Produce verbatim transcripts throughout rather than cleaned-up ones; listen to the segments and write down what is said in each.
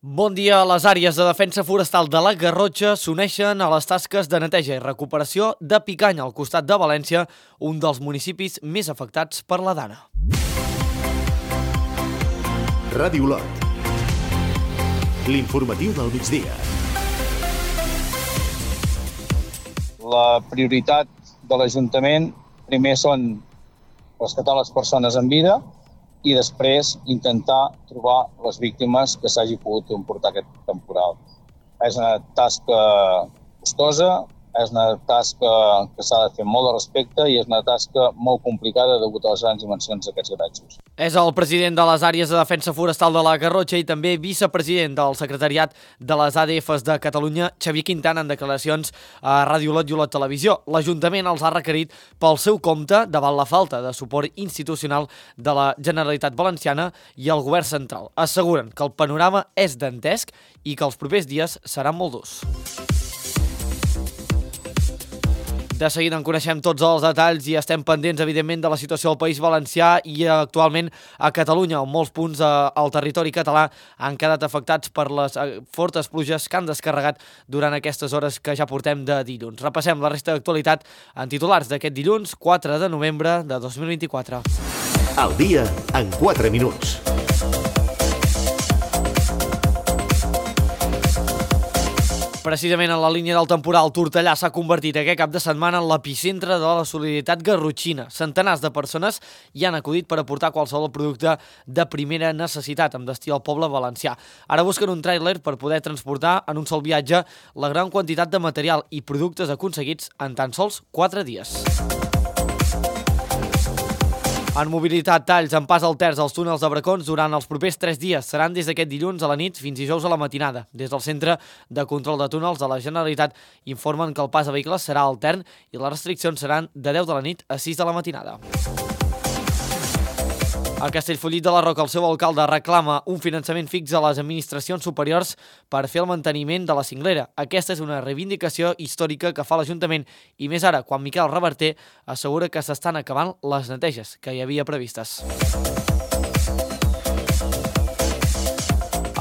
Bon dia. Les àrees de defensa forestal de la Garrotxa s'uneixen a les tasques de neteja i recuperació de Picanya, al costat de València, un dels municipis més afectats per la dana. Ràdio Olot. L'informatiu del migdia. La prioritat de l'Ajuntament primer són rescatar les persones en vida i després intentar trobar les víctimes que s'hagi pogut emportar aquest temporal. És una tasca costosa, és una tasca que s'ha de fer molt de respecte i és una tasca molt complicada degut a les grans dimensions d'aquests garatges. És el president de les àrees de defensa forestal de la Garrotxa i també vicepresident del secretariat de les A D Fs de Catalunya, Xavier Quintana, en declaracions a Ràdio Olot i Olot Televisió. L'Ajuntament els ha requerit pel seu compte davant la falta de suport institucional de la Generalitat Valenciana i el Govern Central. Asseguren que el panorama és dantesc i que els propers dies seran molt durs. De seguida en coneixem tots els detalls i estem pendents, evidentment, de la situació al País Valencià i actualment a Catalunya, on molts punts al territori català han quedat afectats per les fortes pluges que han descarregat durant aquestes hores que ja portem de dilluns. Repassem la resta d'actualitat en titulars d'aquest dilluns, quatre de novembre de dos mil vint-i-quatre. El dia en quatre minuts. Precisament en la línia del temporal, Tortellà s'ha convertit aquest cap de setmana en l'epicentre de la solidaritat garrotxina. Centenars de persones hi han acudit per aportar qualsevol producte de primera necessitat amb destí al poble valencià. Ara busquen un tràiler per poder transportar en un sol viatge la gran quantitat de material i productes aconseguits en tan sols quatre dies. En mobilitat, talls en pas al terç als túnels de Bracons durant els propers tres dies. Seran des d'aquest dilluns a la nit fins dijous a la matinada. Des del Centre de Control de Túnels de la Generalitat informen que el pas a vehicles serà altern i les restriccions seran de deu de la nit a sis de la matinada. A Castellfollit de la Roca, el seu alcalde reclama un finançament fix a les administracions superiors per fer el manteniment de la cinglera. Aquesta és una reivindicació històrica que fa l'Ajuntament i més ara, quan Miquel Reverter assegura que s'estan acabant les neteges que hi havia previstes.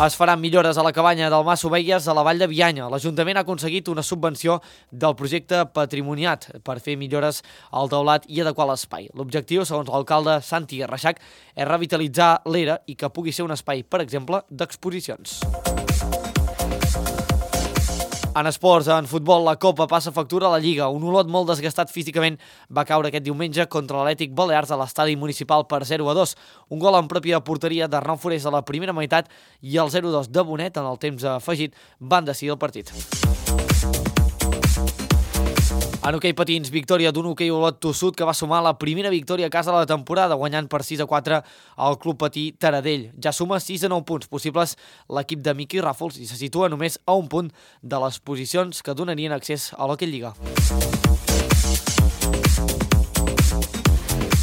Es faran millores a la cabanya del Mas Ovelles a la Vall de Bianya. L'Ajuntament ha aconseguit una subvenció del projecte Patrimoniat per fer millores al teulat i adequar l'espai. L'objectiu, segons l'alcalde Santi Reixac, és revitalitzar l'era i que pugui ser un espai, per exemple, d'exposicions. En esports, en futbol, la Copa passa factura a la Lliga. Un Olot molt desgastat físicament va caure aquest diumenge contra l'Atlètic Balears a l'estadi municipal per zero a dos. Un gol en pròpia porteria d'Arnau Forés a la primera meitat i el zero a dos de Bonet en el temps afegit van decidir el partit. En hoquei patins, victòria d'un hoquei Olot tossut que va sumar la primera victòria a casa de la temporada, guanyant per sis a quatre al Club Patí Taradell. Ja suma sis a nou punts possibles l'equip de Miqui Ràfols i se situa només a un punt de les posicions que donarien accés a l'Hoquei Lliga.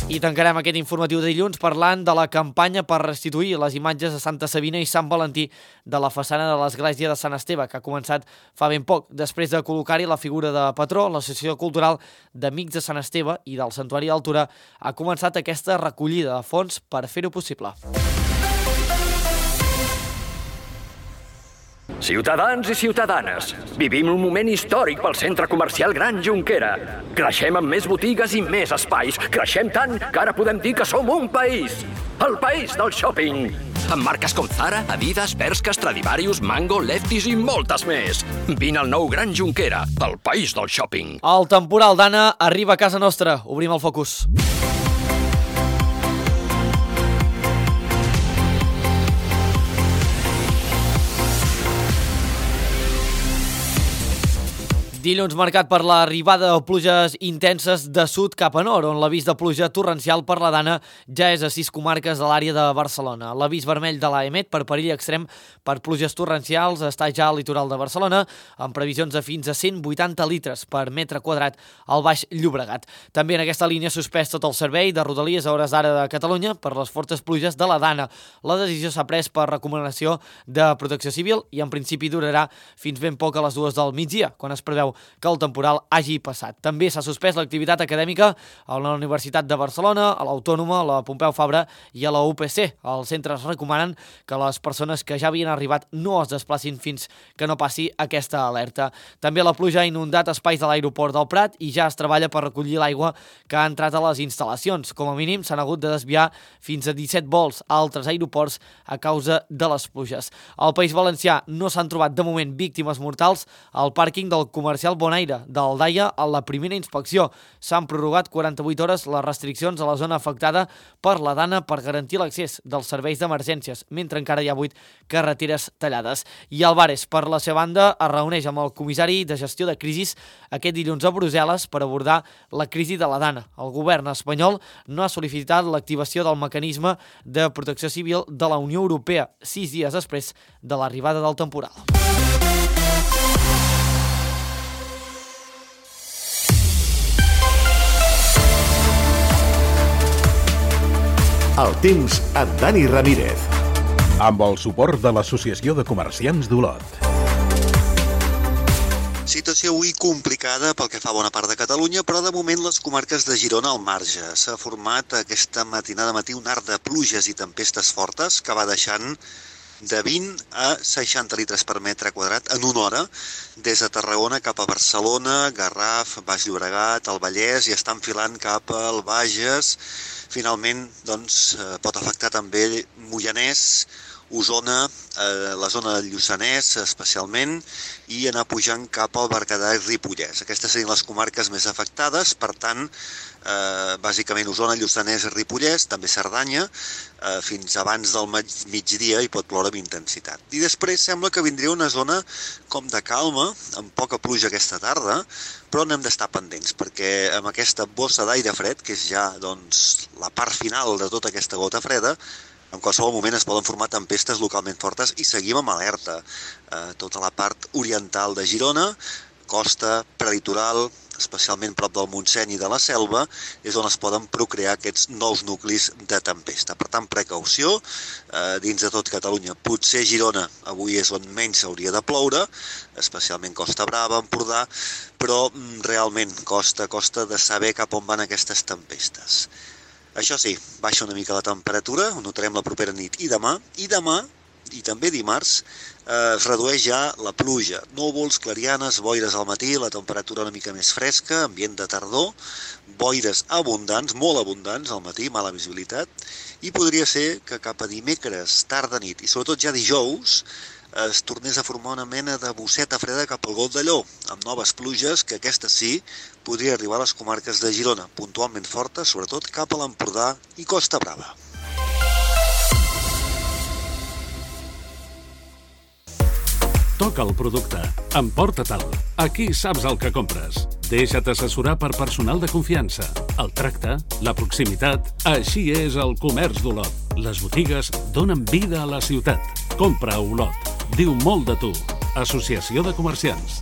I tancarem aquest informatiu de dilluns parlant de la campanya per restituir les imatges de Santa Sabina i Sant Valentí de la façana de l'església de Sant Esteve, que ha començat fa ben poc. Després de col·locar-hi la figura de patró, l'Associació Cultural d'Amics de Sant Esteve i del Santuari d'Altura ha començat aquesta recollida de fons per fer-ho possible. Ciutadans i ciutadanes, vivim un moment històric pel centre comercial Gran Jonquera. Creixem amb més botigues i més espais. Creixem tant que ara podem dir que som un país. El país del shopping. Amb marques com Zara, Adidas, Bershka, Stradivarius, Mango, Lefties i moltes més. Vine al nou Gran Jonquera, el país del shopping. El temporal Dana arriba a casa nostra. Obrim el focus. Dilluns marcat per l'arribada de pluges intenses de sud cap a nord, on l'avís de pluja torrencial per la Dana ja és a sis comarques de l'àrea de Barcelona. L'avís vermell de l'AEMET per perill extrem per pluges torrencials està ja al litoral de Barcelona, amb previsions de fins a cent vuitanta litres per metre quadrat al Baix Llobregat. També en aquesta línia suspès tot el servei de Rodalies a hores d'ara de Catalunya per les fortes pluges de la Dana. La decisió s'ha pres per recomanació de Protecció Civil i en principi durarà fins ben poc a les dues del migdia, quan es preveu que el temporal hagi passat. També s'ha suspès l'activitat acadèmica a la Universitat de Barcelona, a l'Autònoma, a la Pompeu Fabra i a la U P C. Els centres recomanen que les persones que ja havien arribat no es desplacin fins que no passi aquesta alerta. També la pluja ha inundat espais de l'aeroport del Prat i ja es treballa per recollir l'aigua que ha entrat a les instal·lacions. Com a mínim s'han hagut de desviar fins a disset vols a altres aeroports a causa de les pluges. Al País Valencià no s'han trobat de moment víctimes mortals al pàrquing del comercial Bonaire d'Aldaia. A la primera inspecció s'han prorrogat quaranta-vuit hores les restriccions a la zona afectada per la Dana per garantir l'accés dels serveis d'emergències, mentre encara hi ha vuit carreteres tallades. I Álvarez, per la seva banda, es reuneix amb el comissari de gestió de crisis aquest dilluns a Brussel·les per abordar la crisi de la Dana. El govern espanyol no ha sol·licitat l'activació del mecanisme de protecció civil de la Unió Europea sis dies després de l'arribada del temporal. El temps amb Dani Ramírez. Amb el suport de l'Associació de Comerciants d'Olot. Situació avui complicada pel que fa a bona part de Catalunya, però de moment les comarques de Girona al marge. S'ha format aquesta matinada matí un arc de pluges i tempestes fortes que va deixant de vint a seixanta litres per metre quadrat en una hora, des de Tarragona cap a Barcelona, Garraf, Baix Llobregat, el Vallès, i està enfilant cap al Bages. Finalment, doncs, pot afectar també Moianès, Osona, eh, la zona del Lluçanès especialment, i anar pujant cap al Berguedà i Ripollès. Aquestes serien les comarques més afectades, per tant, eh, bàsicament Osona, Lluçanès i Ripollès, també Cerdanya, eh, fins abans del migdia hi pot ploure amb intensitat. I després sembla que vindria una zona com de calma, amb poca pluja aquesta tarda, però n'hem d'estar pendents, perquè amb aquesta bossa d'aire fred, que és ja doncs, la part final de tota aquesta gota freda, en qualsevol moment es poden formar tempestes localment fortes i seguim amb alerta. Eh, tota la part oriental de Girona, costa prelitoral, especialment prop del Montseny i de la Selva, és on es poden procrear aquests nous nuclis de tempesta. Per tant, precaució, eh, dins de tot Catalunya. Potser Girona avui és on menys s'hauria de ploure, especialment Costa Brava, Empordà, però realment costa, costa de saber cap on van aquestes tempestes. Això sí, baixa una mica la temperatura, ho notarem la propera nit i demà, i demà, i també dimarts, eh, es redueix ja la pluja. Núvols, clarianes, boires al matí, la temperatura una mica més fresca, ambient de tardor, boires abundants, molt abundants al matí, mala visibilitat, i podria ser que cap a dimecres, tarda nit, i sobretot ja dijous, es tornés a formar una mena de bosseta freda cap al Golf d'Allò, amb noves pluges que aquestes sí podria arribar a les comarques de Girona, puntualment fortes, sobretot cap a l'Empordà i Costa Brava. Toca el producte, emporta-te'l. Aquí saps el que compres. Deixa't assessorar per personal de confiança. El tracte, la proximitat, així és el comerç d'Olot. Les botigues donen vida a la ciutat. Compra a Olot. Diu molt de tu. Associació de Comerciants.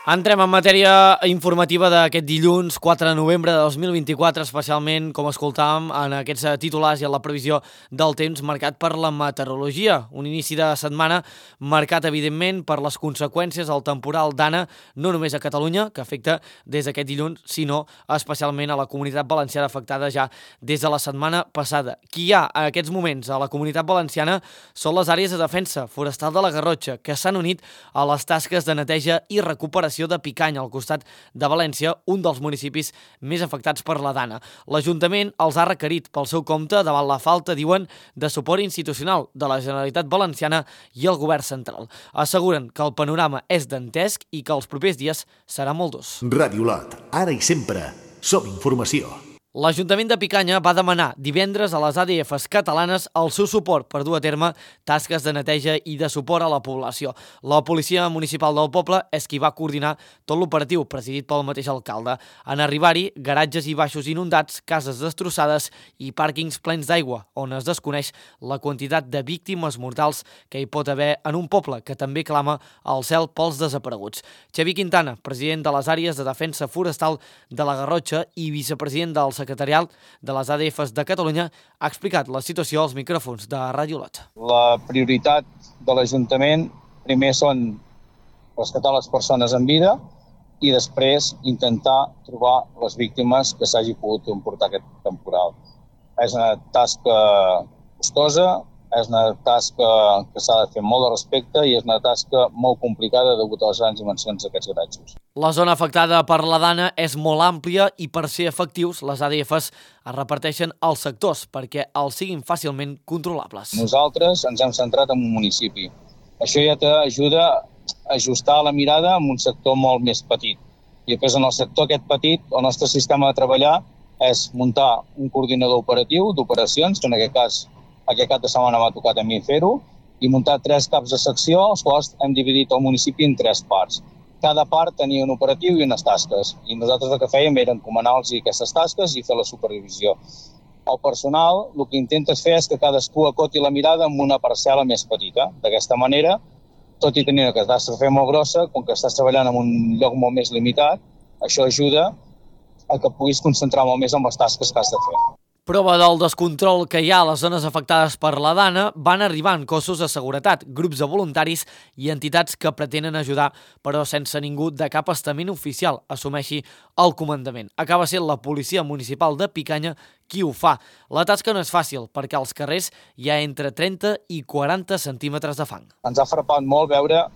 Entrem en matèria informativa d'aquest dilluns quatre de novembre de dos mil vint-i-quatre, especialment, com escoltàvem, en aquests titulars i en la previsió del temps marcat per la meteorologia. Un inici de setmana marcat, evidentment, per les conseqüències del temporal Dana, no només a Catalunya, que afecta des d'aquest dilluns, sinó especialment a la Comunitat Valenciana, afectada ja des de la setmana passada. Qui hi ha en aquests moments a la Comunitat Valenciana són les àrees de defensa forestal de la Garrotxa, que s'han unit a les tasques de neteja i recuperació de Picanya, al costat de València, un dels municipis més afectats per la Dana. L'Ajuntament els ha requerit pel seu compte davant la falta, diuen, de suport institucional de la Generalitat Valenciana i el Govern central. Asseguren que el panorama és dantesc i que els propers dies serà molt durs. Ràdio Olot, ara i sempre, som informació. L'Ajuntament de Picanya va demanar divendres a les A D Fs catalanes el seu suport per dur a terme tasques de neteja i de suport a la població. La policia municipal del poble és qui va coordinar tot l'operatiu, presidit pel mateix alcalde. En arribar-hi, garatges i baixos inundats, cases destrossades i pàrquings plens d'aigua, on es desconeix la quantitat de víctimes mortals que hi pot haver en un poble que també clama al cel pels desapareguts. Xavi Quintana, president de les àrees de defensa forestal de la Garrotxa i vicepresident del secretarial de les A D Fs de Catalunya, ha explicat la situació als micròfons de Ràdio Olot. La prioritat de l'Ajuntament primer són rescatar les persones en vida i després intentar trobar les víctimes que s'hagi pogut comportar aquest temporal. És una tasca costosa, és una tasca que s'ha de fer molt de respecte i és una tasca molt complicada degut a les grans dimensions d'aquests garatges. La zona afectada per la Dana és molt àmplia i per ser efectius les A D Fs es reparteixen als sectors perquè els siguin fàcilment controlables. Nosaltres ens hem centrat en un municipi. Això ja t'ajuda a ajustar la mirada en un sector molt més petit. I després en el sector aquest petit, el nostre sistema de treballar és muntar un coordinador operatiu d'operacions, que en aquest cas aquest cap de setmana m'ha tocat a mi fer-ho, i muntar tres caps de secció, els quals hem dividit el municipi en tres parts. Cada part tenia un operatiu i unes tasques, i nosaltres el que fèiem era encomanar-los aquestes tasques i fer la supervisió. El personal el que intenta fer és que cadascú acoti la mirada en una parcel·la més petita. D'aquesta manera, tot i tenir una catàstrofe molt grossa, com que estàs treballant en un lloc molt més limitat, això ajuda a que puguis concentrar molt més en les tasques que has de fer. Prova del descontrol que hi ha a les zones afectades per la Dana, van arribant cossos de seguretat, grups de voluntaris i entitats que pretenen ajudar, però sense ningú de cap estament oficial assumeixi el comandament. Acaba sent la policia municipal de Picanya qui ho fa. La tasca no és fàcil, perquè als carrers hi ha entre trenta i quaranta centímetres de fang. Ens ha frapat molt veure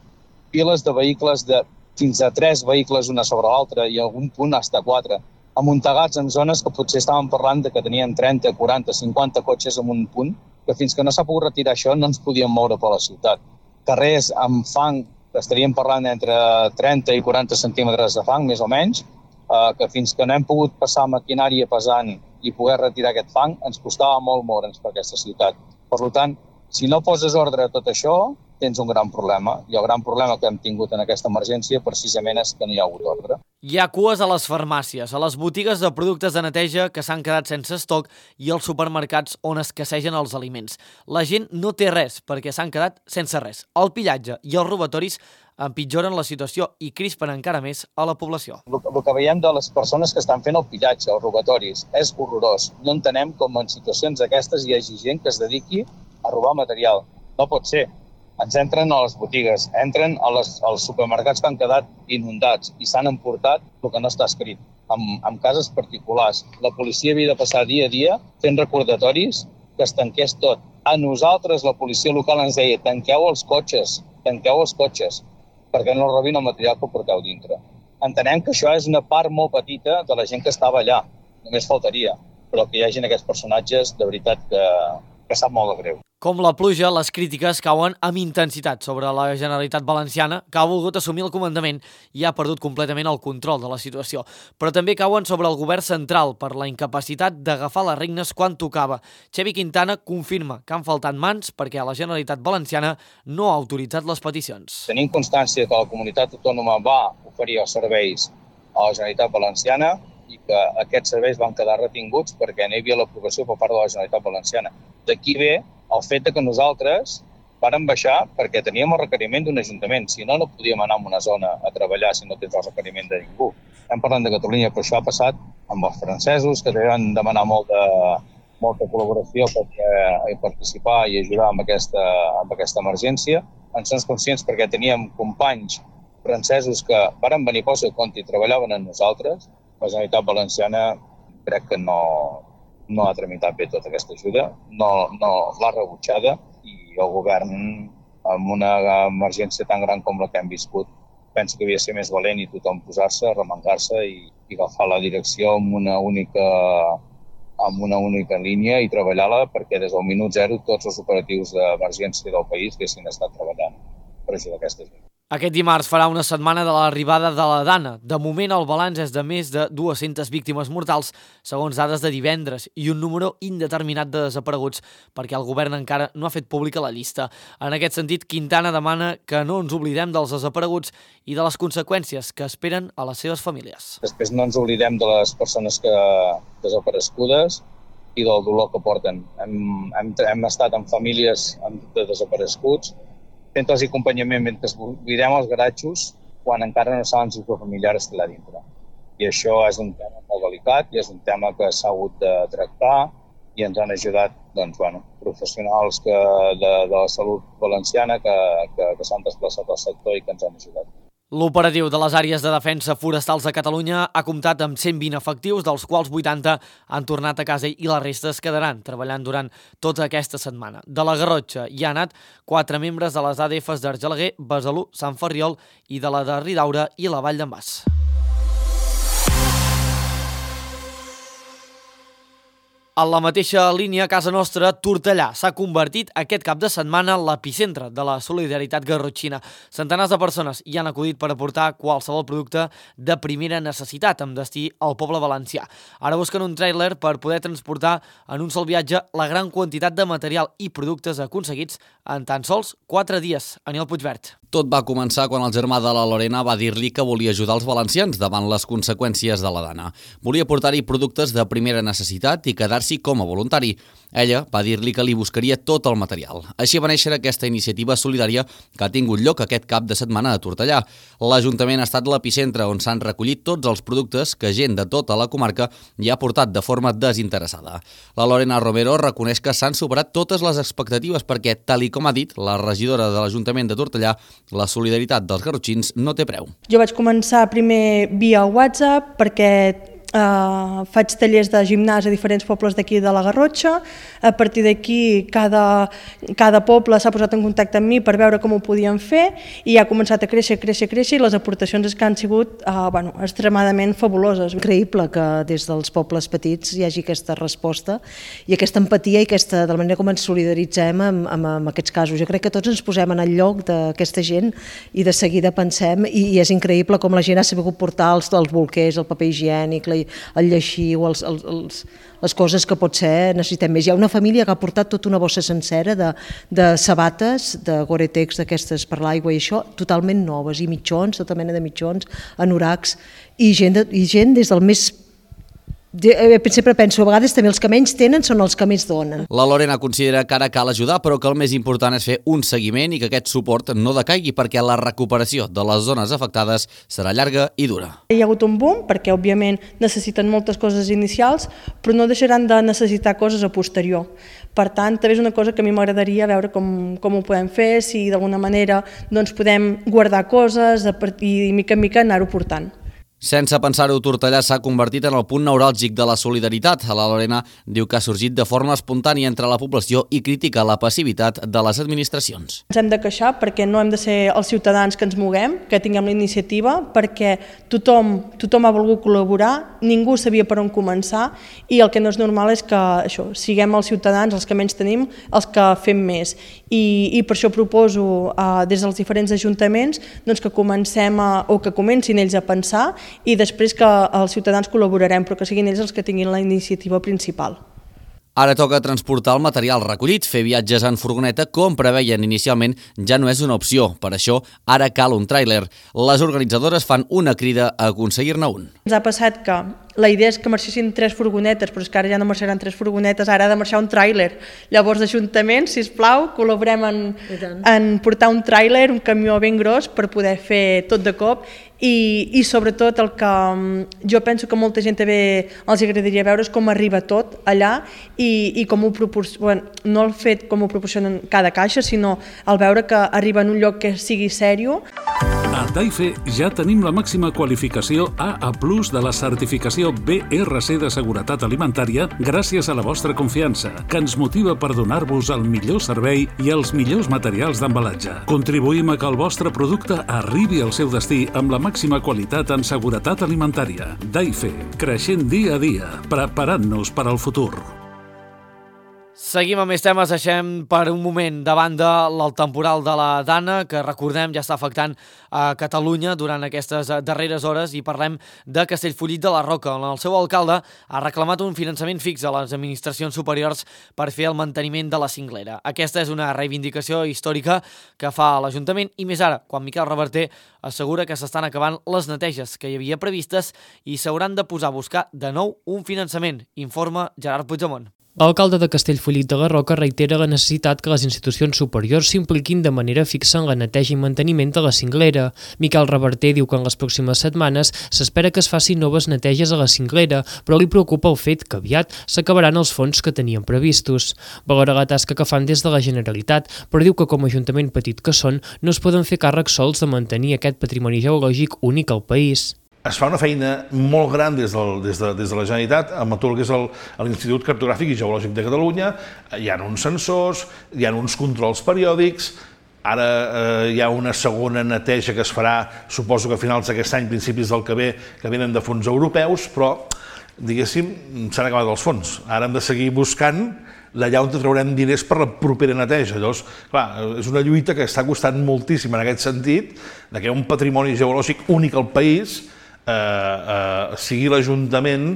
piles de vehicles de fins a tres vehicles una sobre l'altra i a algun punt fins a quatre. Amuntegats en zones que potser estàvem parlant de que tenien trenta, quaranta, cinquanta cotxes en un punt, que fins que no s'ha pogut retirar això no ens podíem moure per la ciutat. Carrers amb fang, que estaríem parlant entre trenta i quaranta centímetres de fang, més o menys, eh, que fins que no hem pogut passar maquinària pesant i poder retirar aquest fang, ens costava molt moure'ns per aquesta ciutat. Per tant, si no poses ordre a tot això, tens un gran problema. I el gran problema que hem tingut en aquesta emergència precisament és que no hi ha hagut ordre. Hi ha cues a les farmàcies, a les botigues de productes de neteja que s'han quedat sense estoc i als supermercats on escassegen els aliments. La gent no té res perquè s'han quedat sense res. El pillatge i els robatoris empitjoren la situació i crispen encara més a la població. El, el que veiem de les persones que estan fent el pillatge, els robatoris, és horrorós. No entenem com en situacions d'aquestes hi hagi gent que es dediqui a robar material. No pot ser. Ens entren a les botigues, entren a les, als supermercats que han quedat inundats i s'han emportat el que no està escrit, amb, amb cases particulars. La policia havia de passar dia a dia fent recordatoris que es tanqués tot. A nosaltres, la policia local ens deia tanqueu els cotxes, tanqueu els cotxes, perquè no robin el material que porteu dintre. Entenem que això és una part molt petita de la gent que estava allà, només faltaria, però que hi hagi aquests personatges de veritat que, que sap molt de greu. Com la pluja, les crítiques cauen amb intensitat sobre la Generalitat Valenciana, que ha volgut assumir el comandament i ha perdut completament el control de la situació. Però també cauen sobre el govern central per la incapacitat d'agafar les regnes quan tocava. Xevi Quintana confirma que han faltat mans perquè la Generalitat Valenciana no ha autoritzat les peticions. Tenim constància que la comunitat autònoma va oferir els serveis a la Generalitat Valenciana i que aquests serveis van quedar retinguts perquè no hi havia l'aprovació per part de la Generalitat Valenciana. D'aquí ve el fet que nosaltres vàrem baixar perquè teníem el requeriment d'un ajuntament. Si no, no podíem anar a una zona a treballar si no tens el requeriment de ningú. Estem parlant de Catalunya, però això ha passat amb els francesos, que van demanar molta, molta col·laboració per participar i ajudar amb aquesta, amb aquesta emergència. En som conscients perquè teníem companys francesos que varen venir pel seu compte i treballaven amb nosaltres. La Generalitat Valenciana crec que no... no ha tramitat bé tota aquesta ajuda, no, no l'ha rebutjada i el govern, amb una emergència tan gran com la que hem viscut, penso que havia de ser més valent i tothom posar-se, remengar-se i, i agafar la direcció amb una única, amb una única línia i treballar-la perquè des del minut zero tots els operatius d'emergència del país haguessin estat treballant per ajudar aquesta gent. Aquest dimarts farà una setmana de l'arribada de la Dana. De moment el balanç és de més de dues-centes víctimes mortals, segons dades de divendres, i un número indeterminat de desapareguts, perquè el govern encara no ha fet pública la llista. En aquest sentit, Quintana demana que no ens oblidem dels desapareguts i de les conseqüències que esperen a les seves famílies. Després no ens oblidem de les persones que desaparegudes i del dolor que porten. Hem, hem, hem estat amb famílies de desapareguts, fent-los acompanyament mentre buidem els garatjos quan encara no saben si el familiar està allà dintre. I això és un tema molt delicat i és un tema que s'ha hagut de tractar i ens han ajudat doncs, bueno, professionals que, de, de la salut valenciana que, que, que s'han desplaçat al sector i que ens han ajudat. L'operatiu de les àrees de defensa forestals de Catalunya ha comptat amb cent vint efectius, dels quals vuitanta han tornat a casa i la resta es quedaran treballant durant tota aquesta setmana. De la Garrotxa hi ha anat quatre membres de les A D Fs d'Argelaguer, Besalú, Sant Ferriol i de la de Ridaura i la Vall d'en Bas. En la mateixa línia, a casa nostra, Tortellà s'ha convertit aquest cap de setmana en l'epicentre de la solidaritat garrotxina. Centenars de persones hi han acudit per aportar qualsevol producte de primera necessitat amb destí al poble valencià. Ara busquen un tràiler per poder transportar en un sol viatge la gran quantitat de material i productes aconseguits en tan sols quatre dies. Aniol Puigvert. Tot va començar quan el germà de la Lorena va dir-li que volia ajudar els valencians davant les conseqüències de la dana. Volia portar-hi productes de primera necessitat i quedar-s'hi com a voluntari. Ella va dir-li que li buscaria tot el material. Així va néixer aquesta iniciativa solidària que ha tingut lloc aquest cap de setmana a Tortellà. L'Ajuntament ha estat l'epicentre on s'han recollit tots els productes que gent de tota la comarca hi ha portat de forma desinteressada. La Lorena Romero reconeix que s'han superat totes les expectatives perquè, tal i com ha dit la regidora de l'Ajuntament de Tortellà, la solidaritat dels garrotxins no té preu. Jo vaig començar primer via WhatsApp perquè Uh, faig tallers de gimnàs a diferents pobles d'aquí de la Garrotxa. A partir d'aquí cada, cada poble s'ha posat en contacte amb mi per veure com ho podien fer i ha començat a créixer, créixer, créixer i les aportacions que han sigut uh, bueno, extremadament fabuloses. Increïble que des dels pobles petits hi hagi aquesta resposta i aquesta empatia i aquesta, de la manera com ens solidaritzem amb, amb, amb aquests casos. Jo crec que tots ens posem en el lloc d'aquesta gent i de seguida pensem i, i és increïble com la gent ha sabut portar els, els bolquers, el paper higiènic, la el lleixiu, els, els, els, les coses que potser necessitem més. Hi ha una família que ha portat tota una bossa sencera de, de sabates, de Gore-Tex, d'aquestes per l'aigua i això, totalment noves, i mitjons, tota mena de mitjons, anoracs, i gent, de, i gent des del més... Sempre penso, a vegades també els que menys tenen són els que més donen. La Lorena considera que ara cal ajudar, però que el més important és fer un seguiment i que aquest suport no decaigui perquè la recuperació de les zones afectades serà llarga i dura. Hi ha hagut un boom perquè, òbviament, necessiten moltes coses inicials, però no deixaran de necessitar coses a posterior. Per tant, també és una cosa que a mi m'agradaria veure com, com ho podem fer, si d'alguna manera doncs, podem guardar coses i mica en mica anar-ho portant. Sense pensar-ho, Tortellà s'ha convertit en el punt neuràlgic de la solidaritat. La Lorena diu que ha sorgit de forma espontània entre la població i critica la passivitat de les administracions. Ens hem de queixar perquè no hem de ser els ciutadans que ens moguem, que tinguem la iniciativa, perquè tothom, tothom ha volgut col·laborar, ningú sabia per on començar i el que no és normal és que això, siguem els ciutadans, els que menys tenim, els que fem més. I, i per això proposo eh, des dels diferents ajuntaments doncs, que comencem a, o que comencin ells a pensar i després que els ciutadans col·laborarem, però que siguin ells els que tinguin la iniciativa principal. Ara toca transportar el material recollit. Fer viatges en furgoneta, com preveien inicialment, ja no és una opció. Per això, ara cal un tràiler. Les organitzadores fan una crida a aconseguir-ne un. Ens ha passat que la idea és que marxessin tres furgonetes, però és que ara ja no marxaran tres furgonetes, ara ha de marxar un tràiler. Llavors, Ajuntament, sisplau, col·laborem en, en portar un tràiler, un camió ben gros, per poder fer tot de cop. I, i sobretot el que jo penso que molta gent també els agradaria veure és com arriba tot allà i, i com ho proporcionen, no el fet com ho proporcionen cada caixa, sinó el veure que arriba en un lloc que sigui sèrio. A Daife ja tenim la màxima qualificació A A plus de la certificació B R C de seguretat alimentària gràcies a la vostra confiança, que ens motiva per donar-vos el millor servei i els millors materials d'embalatge. Contribuïm a que el vostre producte arribi al seu destí amb la màxima qualitat en seguretat alimentària. Daife, creixent dia a dia, preparant-nos per al futur. Seguim amb més temes, deixem per un moment de banda el temporal de la Dana, que recordem ja està afectant a Catalunya durant aquestes darreres hores, i parlem de Castellfollit de la Roca, on el seu alcalde ha reclamat un finançament fix a les administracions superiors per fer el manteniment de la cinglera. Aquesta és una reivindicació històrica que fa l'Ajuntament, i més ara, quan Miquel Reverter assegura que s'estan acabant les neteges que hi havia previstes i s'hauran de posar a buscar de nou un finançament, informa Gerard Puigdemont. L'alcalde de Castellfollit de la Roca reitera la necessitat que les institucions superiors s'impliquin de manera fixa en la neteja i manteniment de la cinglera. Miquel Reverter diu que en les pròximes setmanes s'espera que es facin noves neteges a la cinglera, però li preocupa el fet que aviat s'acabaran els fons que tenien previstos. Valora la tasca que fan des de la Generalitat, però diu que com a ajuntament petit que són no es poden fer càrrec sols de mantenir aquest patrimoni geològic únic al país. Es fa una feina molt gran des, del, des, de, des de la Generalitat amb tot el que és l'Institut Cartogràfic i Geològic de Catalunya. Hi ha uns sensors, hi ha uns controls periòdics, ara eh, hi ha una segona neteja que es farà, suposo que a finals d'aquest any, principis del que ve, que venen de fons europeus, però, diguéssim, s'han acabat els fons. Ara hem de seguir buscant d'allà on traurem diners per la propera neteja. Llavors, clar, és una lluita que està costant moltíssim en aquest sentit, de que un patrimoni geològic únic al país Eh, eh, sigui l'Ajuntament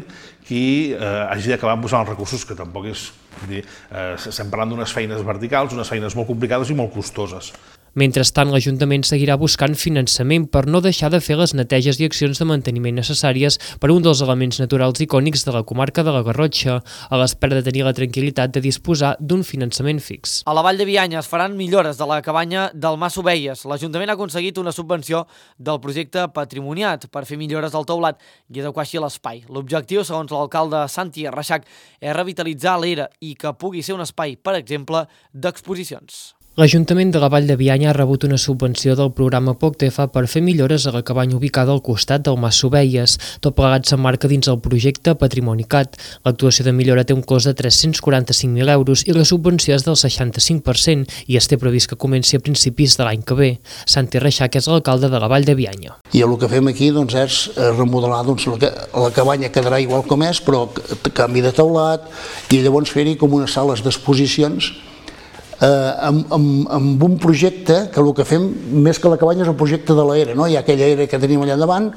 qui eh, hagi d'acabar posant els recursos, que tampoc és... Dir, eh, estem parlant d'unes feines verticals, unes feines molt complicades i molt costoses. Mentrestant, l'Ajuntament seguirà buscant finançament per no deixar de fer les neteges i accions de manteniment necessàries per un dels elements naturals icònics de la comarca de la Garrotxa, a l'espera de tenir la tranquil·litat de disposar d'un finançament fix. A la Vall de Bianya es faran millores de la cabanya del Mas Ovelles. L'Ajuntament ha aconseguit una subvenció del projecte Patrimoniat per fer millores al teulat i adequar així l'espai. L'objectiu, segons l'alcalde Santi Reixac, és revitalitzar l'era i que pugui ser un espai, per exemple, d'exposicions. L'Ajuntament de la Vall de Bianya ha rebut una subvenció del programa POCTEFA per fer millores a la cabanya ubicada al costat del Mas Ovelles. Tot plegat s'emmarca dins el projecte Patrimonicat. L'actuació de millora té un cost de tres-cents quaranta-cinc mil euros i la subvenció és del seixanta-cinc per cent i es té previst que comenci a principis de l'any que ve. Santi Reixac és l'alcalde de la Vall de Bianya. I el que fem aquí doncs, és remodelar doncs, la, la cabanya quedarà igual com és, però canvi de teulat i llavors fer-hi com unes sales d'exposicions Eh, amb, amb, amb un projecte que el que fem, més que la cabanya, és el projecte de l'era, no? Hi ha aquella era que tenim allà davant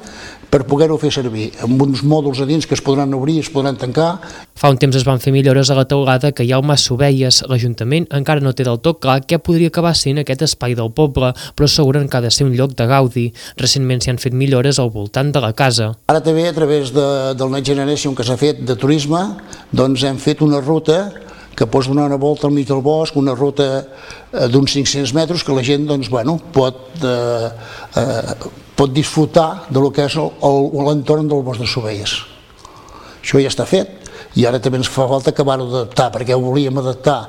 per poder-ho fer servir, amb uns mòduls a dins que es podran obrir i es podran tancar. Fa un temps es van fer millores a la teulada que hi ha al Mas Ovelles. L'Ajuntament encara no té del tot clar què podria acabar sent aquest espai del poble, però asseguren que ha de ser un lloc de gaudi. Recentment s'hi han fet millores al voltant de la casa. Ara també, a través de, del Next Generation que s'ha fet de turisme, doncs hem fet una ruta que pots donar una volta al mig del bosc, una ruta eh, d'uns cinc-cents metres que la gent doncs, bueno, pot, eh, eh, pot disfrutar de lo que és l'entorn del bosc de Ovelles. Això ja està fet i ara també ens fa falta acabar-ho d'adaptar, perquè ho volíem adaptar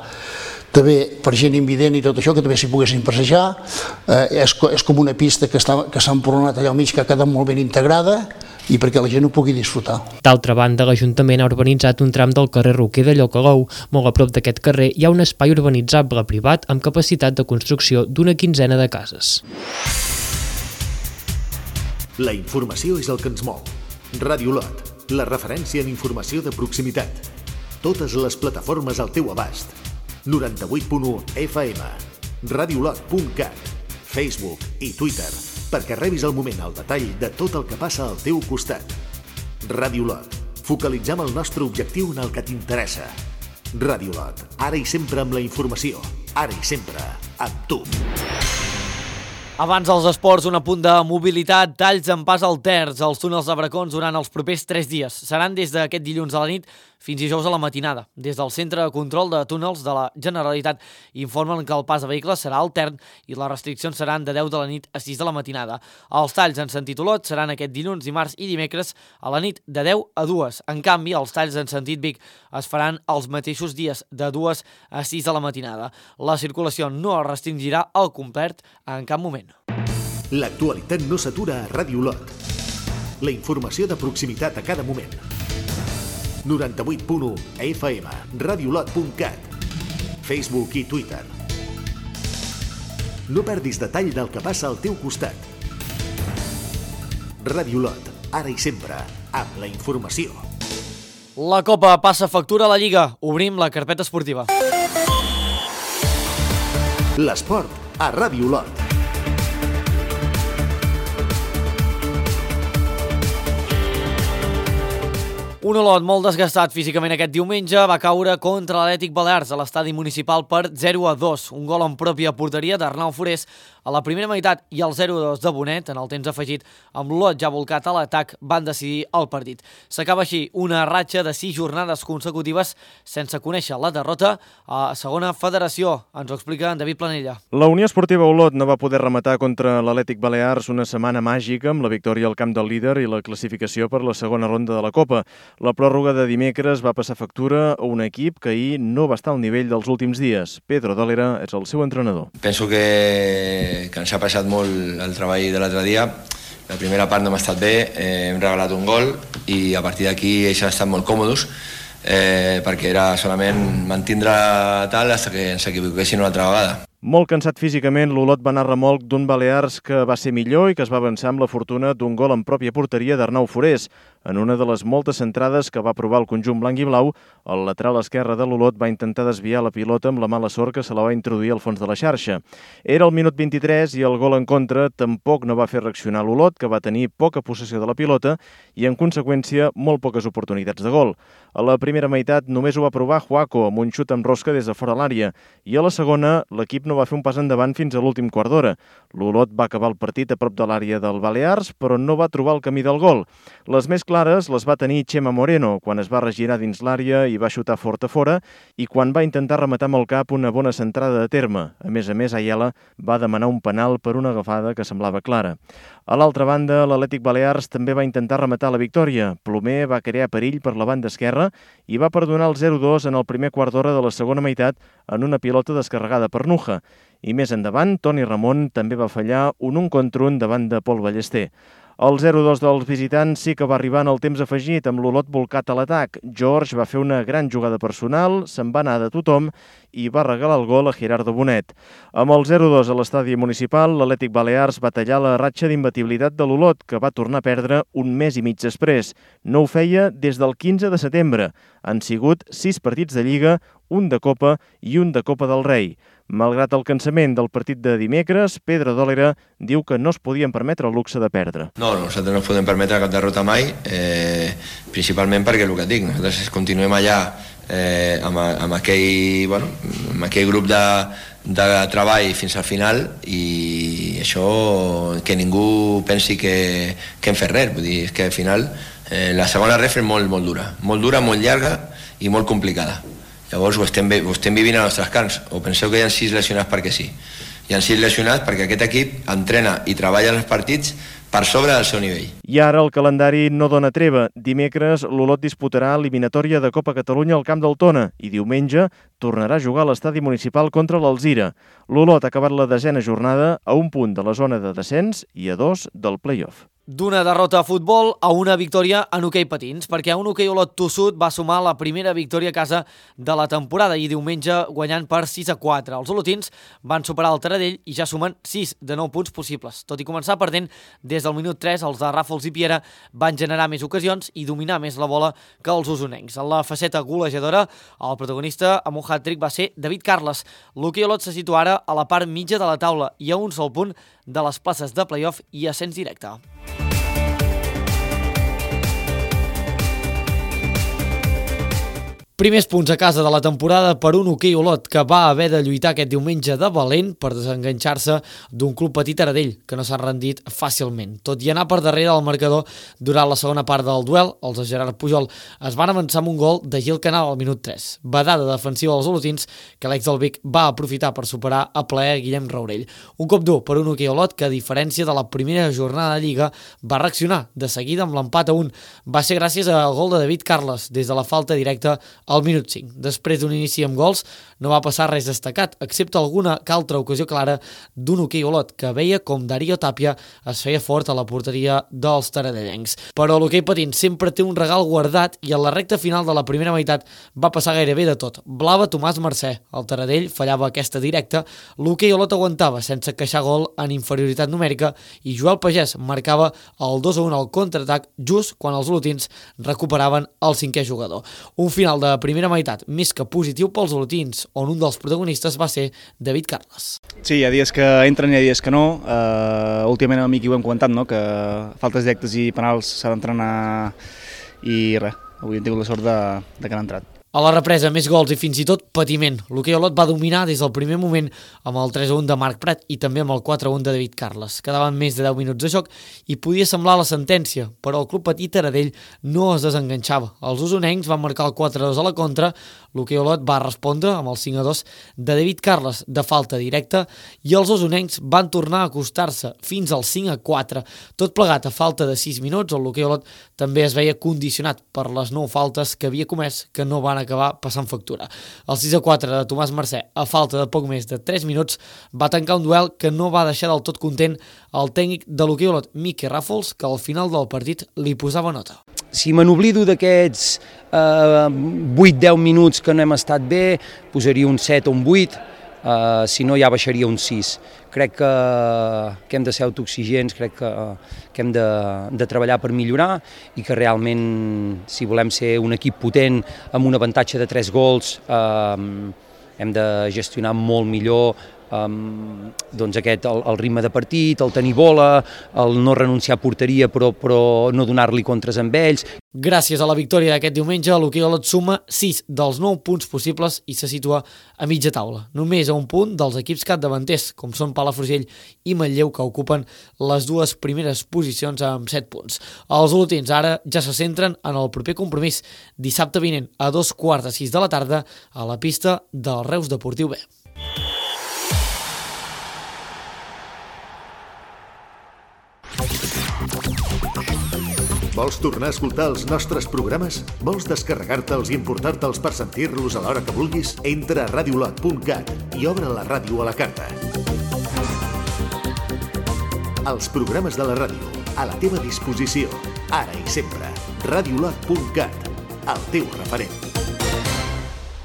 també per gent invident i tot això, que també s'hi poguessin passejar. Eh, és, és com una pista que s'ha que emporonat allà al mig, que ha quedat molt ben integrada i perquè la gent ho pugui disfrutar. D'altra banda, l'Ajuntament ha urbanitzat un tram del carrer Roquer de Llocalou. Molt a prop d'aquest carrer hi ha un espai urbanitzable privat amb capacitat de construcció d'una quinzena de cases. La informació és el que ens mou. Ràdio Lot, la referència en informació de proximitat. Totes les plataformes al teu abast. noranta-vuit punt u F M, radiolot punt cat, Facebook i Twitter, perquè rebis al moment el detall de tot el que passa al teu costat. Ràdio Lot, focalitzem el nostre objectiu en el que t'interessa. Ràdio Lot, ara i sempre amb la informació, ara i sempre amb tu. Abans dels esports, un apunt de mobilitat, talls en pas al terç als túnels de Bracons durant els propers tres dies. Seran des d'aquest dilluns a la nit fins dijous a la matinada. Des del Centre de Control de Túnels de la Generalitat informen que el pas de vehicles serà altern i les restriccions seran de deu de la nit a sis de la matinada. Els talls en sentit Olot seran aquest dilluns, dimarts i dimecres a la nit de deu a dues. En canvi, els talls en sentit Vic es faran els mateixos dies de dues a sis de la matinada. La circulació no es restringirà al complet en cap moment. L'actualitat no s'atura a Ràdio Lot. La informació de proximitat a cada moment. noranta-vuit punt u F M, radiolot punt cat, Facebook i Twitter. No perdis detall del que passa al teu costat. Ràdio Lot, ara i sempre, amb la informació. La Copa passa factura a la Lliga. Obrim la carpeta esportiva. L'esport a Ràdio Lot. Un Olot molt desgastat físicament aquest diumenge va caure contra l'Atlètic Balears a l'estadi municipal per zero a dos. Un gol en pròpia porteria d'Arnau Forés A la primera meitat i el zero dos de Bonet, en el temps afegit amb l'Olot ja volcat a l'atac, van decidir el partit. S'acaba així una ratxa de sis jornades consecutives sense conèixer la derrota a segona federació. Ens ho explica en David Planella. La Unió Esportiva Olot no va poder rematar contra l'Atlètic Balears una setmana màgica amb la victòria al camp del líder i la classificació per la segona ronda de la Copa. La pròrroga de dimecres va passar factura a un equip que ahir no va estar al nivell dels últims dies. Pedro Dolera és el seu entrenador. Penso que, que ens ha passat molt el treball de l'altre dia. La primera part no m'ha estat bé, eh, hem regalat un gol i a partir d'aquí ells han estat molt còmodes eh, perquè era solament mantindre tal fins que ens equivoquessin una altra vegada. Molt cansat físicament, l'Olot va anar a remolc d'un Balears que va ser millor i que es va avançar amb la fortuna d'un gol en pròpia porteria d'Arnau Forés. En una de les moltes centrades que va provar el conjunt blanc i blau, el lateral esquerre de l'Olot va intentar desviar la pilota amb la mala sort que se la va introduir al fons de la xarxa. Era el minut vint-i-tres i el gol en contra tampoc no va fer reaccionar l'Olot, que va tenir poca possessió de la pilota i, en conseqüència, molt poques oportunitats de gol. A la primera meitat només ho va provar Juaco amb un xut amb rosca des de fora l'àrea i a la segona l'equip no va fer un pas endavant fins a l'últim quart d'hora. L'Olot va acabar el partit a prop de l'àrea del Balears, però no va trobar el camí del gol. Les més clares les va tenir Chema Moreno, quan es va regirar dins l'àrea i va xutar fort a fora, i quan va intentar rematar amb el cap una bona centrada de terme. A més a més, Ayala va demanar un penal per una agafada que semblava clara. A l'altra banda, l'Atlètic Balears també va intentar rematar la victòria. Plomer va crear perill per la banda esquerra i va perdonar el zero dos en el primer quart d'hora de la segona meitat en una pilota descarregada per Nuja. I més endavant, Toni Ramon també va fallar un un contra un davant de Pol Ballester. El zero dos dels visitants sí que va arribar en el temps afegit, amb l'Olot volcat a l'atac. George va fer una gran jugada personal, se'n va anar de tothom i va regalar el gol a Gerardo Bonet. Amb el zero dos a l'estadi municipal, l'Atlètic Balears va tallar la ratxa d'imbatibilitat de l'Olot, que va tornar a perdre un mes i mig després. No ho feia des del quinze de setembre. Han sigut sis partits de Lliga, un de Copa i un de Copa del Rei. Malgrat el cansament del partit de dimecres, Pedro Dolera diu que no es podien permetre el luxe de perdre. No, nosaltres no ens podem permetre cap derrota mai, eh, principalment perquè el que et dic, nosaltres continuem allà eh, amb, amb, aquell, bueno, amb aquell grup de, de treball fins al final i això que ningú pensi que, que hem fet res, vull dir, és que al final eh, la segona ref és molt, molt dura, molt dura, molt llarga i molt complicada. Llavors ho estem, ho estem vivint a nostres camps, o penseu que hi ha sis lesionats perquè sí. Hi ha sis lesionats perquè aquest equip entrena i treballa en els partits per sobre del seu nivell. I ara el calendari no dona treva. Dimecres l'Olot disputarà eliminatòria de Copa Catalunya al camp del Tona i diumenge tornarà a jugar a l'estadi municipal contra l'Alzira. L'Olot ha acabat la desena jornada a un punt de la zona de descens i a dos del play-off. D'una derrota a futbol a una victòria en hoquei patins, perquè un hoquei Olot tossut va sumar la primera victòria a casa de la temporada i diumenge guanyant per sis a quatre. Els olotins van superar el Taradell i ja sumen sis de nou punts possibles. Tot i començar perdent, des del minut tres els de Ràfols i Piera van generar més ocasions i dominar més la bola que els usonencs. En la faceta golejadora, el protagonista amb un hat-trick va ser David Carles. L'hoquei Olot se situa ara a la part mitja de la taula i a un sol punt de les places de play-off i ascens directe. Primers punts a casa de la temporada per un hoquei Olot que va haver de lluitar aquest diumenge de valent per desenganxar-se d'un club petit Taradell que no s'ha rendit fàcilment. Tot i anar per darrere del marcador durant la segona part del duel, els de Gerard Pujol es van avançar amb un gol de Gil Canal al minut tres. Badada defensiva dels olotins que l'ex del Vic va aprofitar per superar a plaer Guillem Raurell. Un cop dur per un hoquei Olot que, a diferència de la primera jornada de Lliga, va reaccionar de seguida amb l'empat a un. Va ser gràcies al gol de David Carles des de la falta directa al minut cinc. Després d'un inici amb gols, no va passar res destacat, excepte alguna que altra ocasió clara d'un hoquei Olot que veia com Darío Tàpia es feia fort a la porteria dels taradellencs. Però l'hoquei patins sempre té un regal guardat i a la recta final de la primera meitat va passar gairebé de tot. Blava Tomàs Mercè, el Taradell fallava aquesta directa, l'hoquei Olot aguantava sense queixar gol en inferioritat numèrica i Joel Pagès marcava el dos a un al contraatac just quan els olotins recuperaven el cinquè jugador. Un final de primera meitat més que positiu pels olotins, on un dels protagonistes va ser David Carles. Sí, hi ha dies que entren i hi ha dies que no. Uh, últimament amb mi ho hem comentat, no? Que faltes directes i penals s'ha d'entrenar i res, avui hem tingut la sort de, de que han entrat. A la represa, més gols i fins i tot patiment. L'hoquei Olot va dominar des del primer moment amb el tres a un de Marc Prat i també amb el quatre a un de David Carles. Quedaven més de deu minuts de joc i podia semblar la sentència, però el club petit Taradell no es desenganxava. Els usonencs van marcar el quatre a dos a la contra, l'hoquei Olot va respondre amb el cinc a dos de David Carles de falta directa i els usonencs van tornar a acostar-se fins al cinc a quatre. Tot plegat a falta de sis minuts, el l'hoquei Olot també es veia condicionat per les nou faltes que havia comès que no van acabar passant factura. El sis a quatre de Tomàs Mercè, a falta de poc més de tres minuts, va tancar un duel que no va deixar del tot content el tècnic de l'hoquei Olot, Miqui Ràfols, que al final del partit li posava nota. Si me n'oblido d'aquests eh, vuit a deu minuts que no hem estat bé, posaria un set o un vuit, eh, si no ja baixaria un sis. Crec que, que hem de ser autoexigents, crec que, que hem de, de treballar per millorar i que realment, si volem ser un equip potent amb un avantatge de tres gols, eh, hem de gestionar molt millor Um, doncs aquest, el, el ritme de partit, el tenir bola, el no renunciar a porteria però, però no donar-li contres amb ells. Gràcies a la victòria d'aquest diumenge, l'hoquei Olot suma sis dels nou punts possibles i se situa a mitja taula. Només a un punt dels equips capdavanters, com són Palafrugell i Manlleu, que ocupen les dues primeres posicions amb set punts. Els olotins ara ja se centren en el proper compromís, dissabte vinent a dos quarts de sis de la tarda a la pista del Reus Deportiu B. Vols tornar a escoltar els nostres programes? Vols descarregar-te'ls i emportar-te'ls per sentir-los a l'hora que vulguis? Entra a radiolot punt cat i obre la ràdio a la carta. Els programes de la ràdio, a la teva disposició, ara i sempre. radiolot punt cat, el teu referent.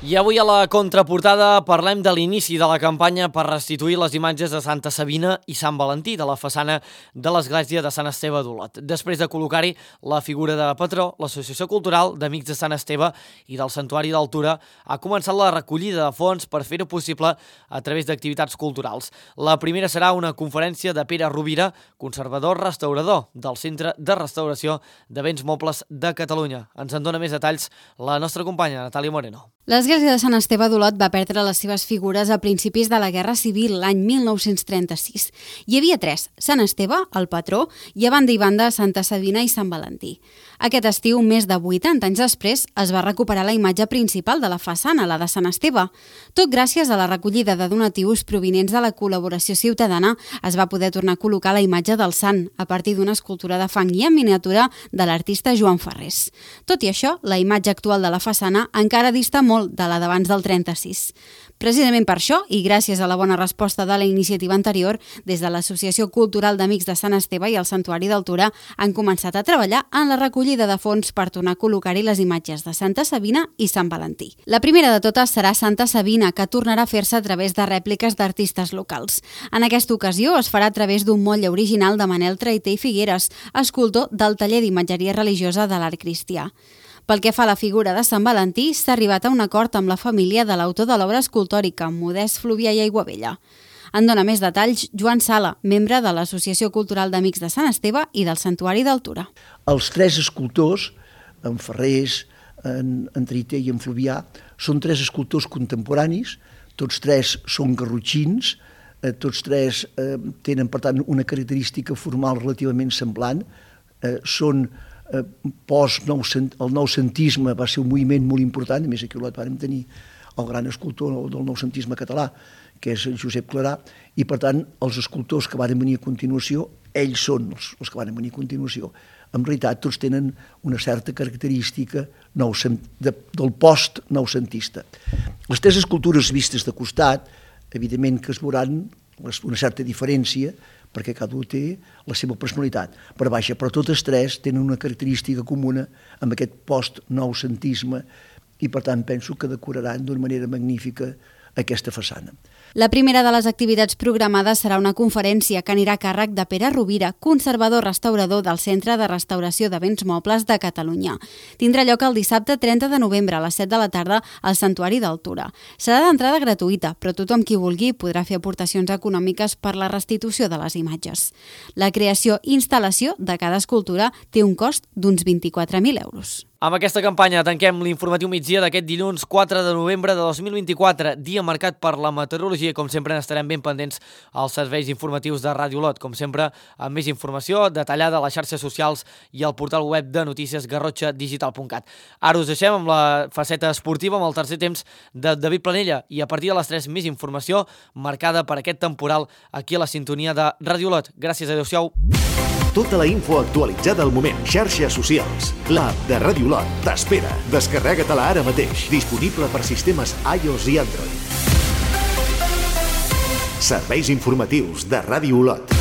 I avui a la contraportada parlem de l'inici de la campanya per restituir les imatges de Santa Sabina i Sant Valentí de la façana de l'església de Sant Esteve d'Olot. Després de col·locar-hi la figura de patró, l'Associació Cultural d'Amics de Sant Esteve i del Santuari d'Altura ha començat la recollida de fons per fer-ho possible a través d'activitats culturals. La primera serà una conferència de Pere Rovira, conservador restaurador del Centre de Restauració de Béns Mobles de Catalunya. Ens en dona més detalls la nostra companya Natàlia Moreno. L'església de Sant Esteve d'Olot va perdre les seves figures a principis de la Guerra Civil, l'any mil nou-cents trenta-sis. Hi havia tres, Sant Esteve, el patró, i a banda i banda Santa Sabina i Sant Valentí. Aquest estiu, més de vuitanta anys després, es va recuperar la imatge principal de la façana, la de Sant Esteve. Tot gràcies a la recollida de donatius provinents de la col·laboració ciutadana, es va poder tornar a col·locar la imatge del sant, a partir d'una escultura de fang i en miniatura de l'artista Joan Ferrés. Tot i això, la imatge actual de la façana encara dista molt de la d'abans del trenta-sis. Precisament per això, i gràcies a la bona resposta de la iniciativa anterior, des de l'Associació Cultural d'Amics de Sant Esteve i el Santuari d'Altura han començat a treballar en la recollida de fons per tornar a col·locar-hi les imatges de Santa Sabina i Sant Valentí. La primera de totes serà Santa Sabina, que tornarà a fer-se a través de rèpliques d'artistes locals. En aquesta ocasió es farà a través d'un motlle original de Manel Traité i Figueres, escultor del taller d'imatgeria religiosa de l'Art Cristià. Pel que fa a la figura de Sant Valentí, s'ha arribat a un acord amb la família de l'autor de l'obra escultòrica, Modest Fluvià i Aiguabella. En dona més detalls Joan Sala, membre de l'Associació Cultural d'Amics de Sant Esteve i del Santuari d'Altura. Els tres escultors, en Ferrés, en, en Traité i en Fluvià, són tres escultors contemporanis, tots tres són garrotxins, eh, tots tres eh, tenen, per tant, una característica formal relativament semblant, eh, són Eh, post nou, el noucentisme va ser un moviment molt important, a més aquí a Olot vam tenir el gran escultor del noucentisme català, que és Josep Clarà, i per tant els escultors que van venir a continuació, ells són els, els que van venir a continuació. En realitat tots tenen una certa característica noucent, de, del post-noucentista. Les tres escultures vistes de costat, evidentment que es veuran una certa diferència, perquè cada un té la seva personalitat. Per baixa, però totes tres tenen una característica comuna amb aquest post-noucentisme i, per tant, penso que decoraran d'una manera magnífica aquesta façana. La primera de les activitats programades serà una conferència que anirà a càrrec de Pere Rovira, conservador restaurador del Centre de Restauració de Béns Mobles de Catalunya. Tindrà lloc el dissabte trenta de novembre a les set de la tarda al Santuari d'Altura. Serà d'entrada gratuïta, però tothom qui vulgui podrà fer aportacions econòmiques per la restitució de les imatges. La creació i instal·lació de cada escultura té un cost d'uns vint-i-quatre mil euros. Amb aquesta campanya tanquem l'informatiu migdia d'aquest dilluns quatre de novembre de dos mil vint-i-quatre, dia marcat per la meteorologia. Com sempre, estarem ben pendents als serveis informatius de Ràdio Olot. Com sempre, amb més informació detallada a les xarxes socials i al portal web de notícies garrotxa digital punt cat. Ara us deixem amb la faceta esportiva, amb el tercer temps de David Planella, i a partir de les tres més informació marcada per aquest temporal aquí a la sintonia de Ràdio Olot. Gràcies, adeu-siau. Tota la info actualitzada al moment. Xarxes socials. L'app de Ràdio Olot t'espera. Descarrega-te-la ara mateix. Disponible per sistemes iOS i Android. Serveis informatius de Ràdio Olot.